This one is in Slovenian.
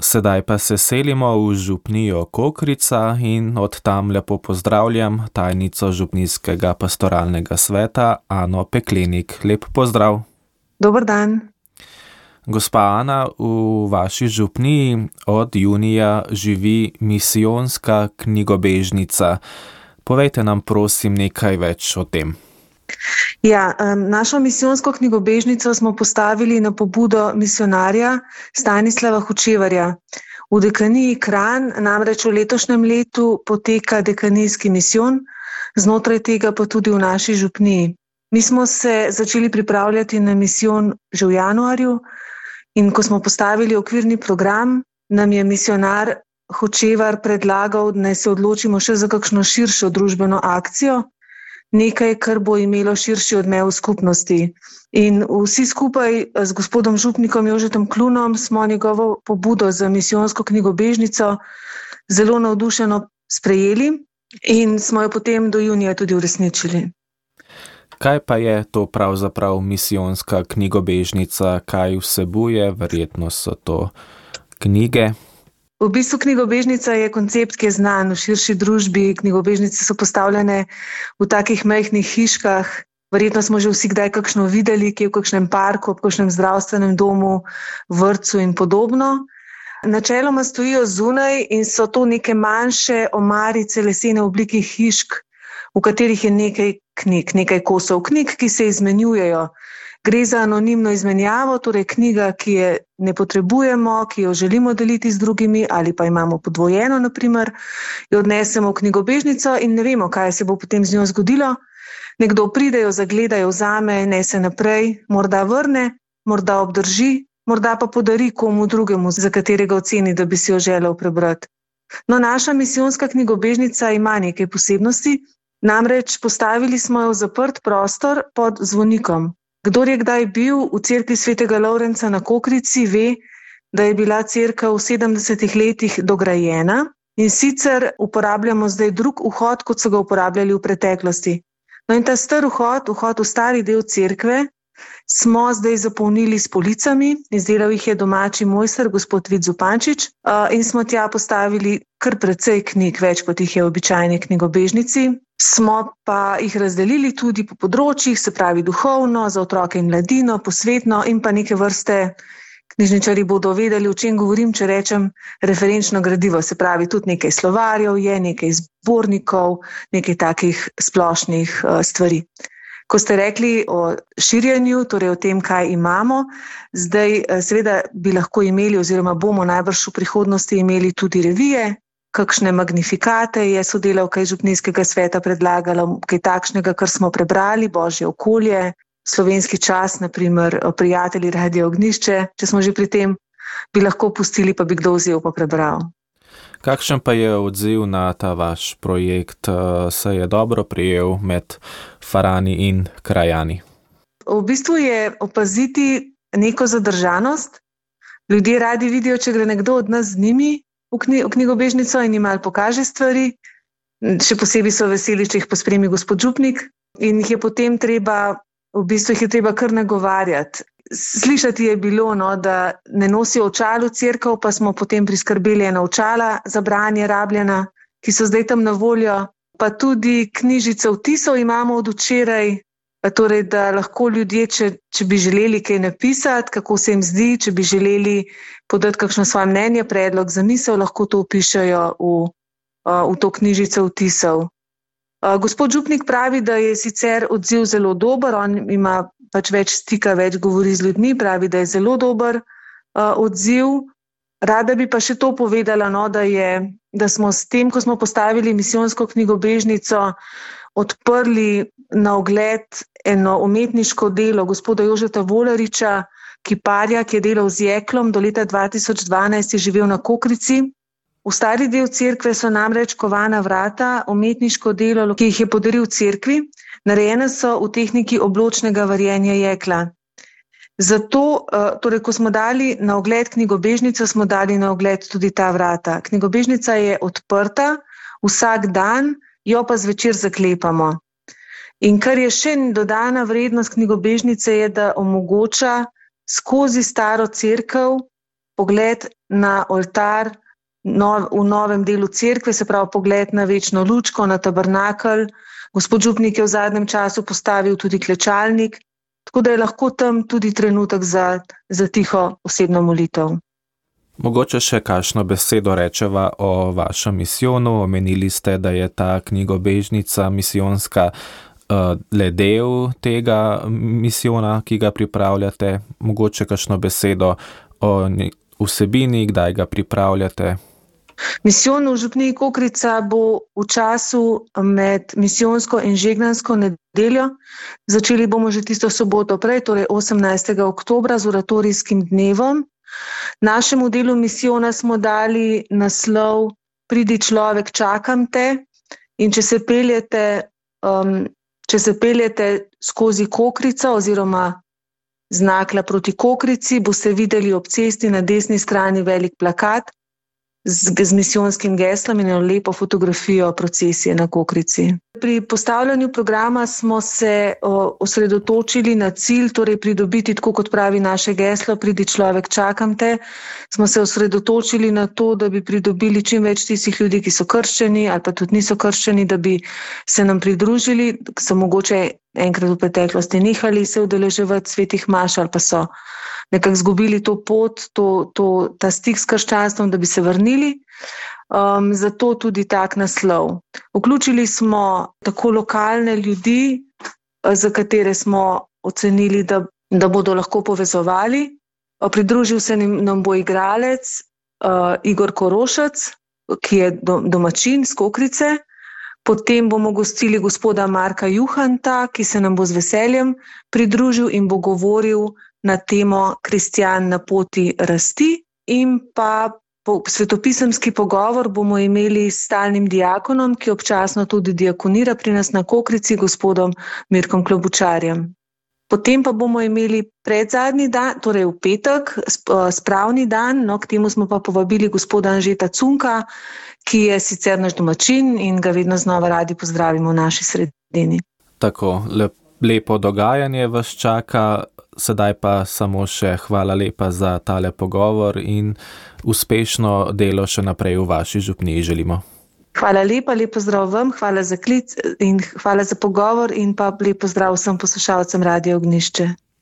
Sedaj pa se selimo v župnijo Kokrica in od tam lepo pozdravljam tajnico župnijskega pastoralnega sveta Ano Peklenik. Lep pozdrav. Dober dan. Gospa Ana, v vaši župniji od junija živi misijonska knjigobežnica. Povejte nam prosim nekaj več o tem. Ja, našo misijonsko knjigobežnico smo postavili na pobudo misijonarja Stanislava Hočevarja. V dekaniji Kranj namreč v letošnjem letu poteka dekanijski misijon, znotraj tega pa tudi v naši župniji. Mi smo se začeli pripravljati na misijon že v januarju in ko smo postavili okvirni program, nam je misijonar Hočevar predlagal, da se odločimo še za kakšno širšo družbeno akcijo, nekaj, kar bo imelo širši odmev v skupnosti. In vsi skupaj z gospodom župnikom Jožetom Klunom smo njegovo pobudo za misijonsko knjigobežnico zelo navdušeno sprejeli in smo jo potem do junija tudi uresničili. Kaj pa je to pravzaprav misijonska knjigobežnica, kaj vsebuje? Verjetno so to knjige. V bistvu knjigobežnica je koncept, ki je znan v širši družbi. Knjigobežnice so postavljene v takih majhnih hiškah. Verjetno smo že vsi kdaj kakšno videli, ki je v kakšnem parku, v kakšnem zdravstvenem domu, vrtcu in podobno. Načeloma stojijo zunaj in so to neke manjše omarice lesene oblike hišk, v katerih je nekaj knjig, nekaj kosov knjig, ki se izmenjujejo. Gre za anonimno izmenjavo, torej knjiga, ki je ne potrebujemo, ki jo želimo deliti z drugimi ali pa imamo podvojeno, naprimer, jo odnesemo v knjigobežnico in ne vemo, kaj se bo potem z njo zgodilo. Nekdo pride, jo zagleda, jo vzame, nese naprej, morda vrne, morda obdrži, morda pa podari komu drugemu, za katerega oceni, da bi si jo želel prebrati. No, naša misijonska knjigobežnica ima nekaj posebnosti, namreč postavili smo jo v zaprt prostor pod zvonikom. Kdor je kdaj bil v cerkvi svetega Lovrenca na Kokrici, ve, da je bila cerkev v 70 letih dograjena in sicer uporabljamo zdaj drug vhod, kot so ga uporabljali v preteklosti. No in ta star vhod v stari del cerkve, smo zdaj zapolnili s policami, izdelal jih je domači mojster, gospod Vid Zupančič, in smo tja postavili kar precej knjig, več kot jih je v običajni knjigobežnici. Smo pa jih razdelili tudi po področjih, se pravi duhovno, za otroke in mladino, posvetno in pa neke vrste, knjižničarji bodo vedeli, o čem govorim, če rečem referenčno gradivo, se pravi tudi nekaj slovarjev je, nekaj zbornikov, nekaj takih splošnih stvari. Ko ste rekli o širjenju, torej o tem, kaj imamo, zdaj seveda bi lahko imeli oziroma bomo najbrž v prihodnosti imeli tudi revije, kakšne magnifikate je sodelavka iz župnijskega sveta predlagala, kaj takšnega, kar smo prebrali, Božje okolje, Slovenski čas, naprimer Prijatelji Radia Ognjišče, če smo že pri tem, bi lahko pustili, pa bi kdo vzel pa prebral. Kakšen pa je odziv na ta vaš projekt? Se je dobro prijel med farani in krajani? V bistvu je opaziti neko zadržanost. Ljudje radi vidijo, če gre nekdo od nas z njimi v knjigobežnico in jim malo pokaže stvari. Še posebej so veseli, če jih pospremi gospod župnik in jih je potem treba, v bistvu jih je treba kar nagovarjati. Slišati je bilo, da ne nosijo očal v cerkev, pa smo potem priskrbeli ena očala za branje rabljena, ki so zdaj tam na voljo. Pa tudi knjižice vtisov imamo od včeraj, torej da lahko ljudje, če bi želeli kaj napisati, kako se jim zdi, če bi želeli podati kakšno svoje mnenje, predlog za misel, lahko to vpišejo v to knjižico vtisov. Gospod župnik pravi, da je sicer odziv zelo dober, on ima pač več stika, več govori z ljudmi, pravi, da je zelo dober odziv. Rada bi pa še to povedala, da smo s tem, ko smo postavili misijonsko knjigobežnico, odprli na ogled eno umetniško delo gospoda Jožeta Volariča, kiparja, ki je delal z jeklom, do leta 2012 je živel na Kokrici. V stari del cerkve so namreč kovana vrata, umetniško delo, ki jih je podaril cerkvi, narejene so v tehniki obločnega varjenja jekla. Zato, torej, ko smo dali na ogled knjigobežnico, smo dali na ogled tudi ta vrata. Knjigobežnica je odprta vsak dan, jo pa zvečer zaklepamo. In kar je še dodana vrednost knjigobežnice je, da omogoča skozi staro cerkev pogled na oltar v novem delu cerkve, se pravi pogled na večno lučko, na tabernakelj. Gospod župnik je v zadnjem času postavil tudi klečalnik, tako da je lahko tam tudi trenutek za tiho osebno molitev. Mogoče še kakšno besedo rečeva o vašem misijonu. Omenili ste, da je ta knjigobežnica misijonska le del tega misijona, ki ga pripravljate. Mogoče kakšno besedo o vsebini, kdaj ga pripravljate. Misijon v župniji Kokrica bo v času med misijonsko in žegnansko nedeljo. Začeli bomo že tisto soboto prej, torej 18. oktobra z oratorijskim dnevom. Našemu delu misijona smo dali naslov Pridi človek, čakam te. In če se peljete skozi Kokrico oziroma z Nakla proti Kokrici, boste videli ob cesti na desni strani velik plakat z misijonskim geslom in eno lepo fotografijo procesije na Kokrici. Pri postavljanju programa smo se osredotočili na cilj, torej pridobiti, tako kot pravi naše geslo, pridi človek, čakam te. Smo se osredotočili na to, da bi pridobili čim več tistih ljudi, ki so krščeni ali pa tudi niso krščeni, da bi se nam pridružili, so mogoče enkrat v preteklosti nehali se udeleževati svetih maš ali pa so nekako zgubili to pot, ta stik s krščanstvom, da bi se vrnili. Zato tudi tak naslov. Vključili smo tako lokalne ljudi, za katere smo ocenili, da bodo lahko povezovali. Pridružil se nam bo igralec Igor Korošec, ki je domačin z Kokrice. Potem bomo gostili gospoda Marka Juhanta, ki se nam bo z veseljem pridružil in bo govoril na temo Kristjan na poti rasti. In pa svetopisemski pogovor bomo imeli s stalnim diakonom, ki občasno tudi diakonira pri nas na Kokrici, gospodom Mirkom Klobučarjem. Potem pa bomo imeli predzadnji dan, torej v petek, spravni dan, k temu smo pa povabili gospoda Anžeta Cunka, ki je sicer naš domačin in ga vedno znova radi pozdravimo v naši sredini. Tako, lepo dogajanje vas čaka, sedaj pa samo še hvala lepa za tale pogovor in uspešno delo še naprej v vaši župniji želimo. Hvala lepa, lep pozdrav vam, hvala za klic in hvala za pogovor in pa lep pozdrav vsem poslušalcem Radia Ognjišče.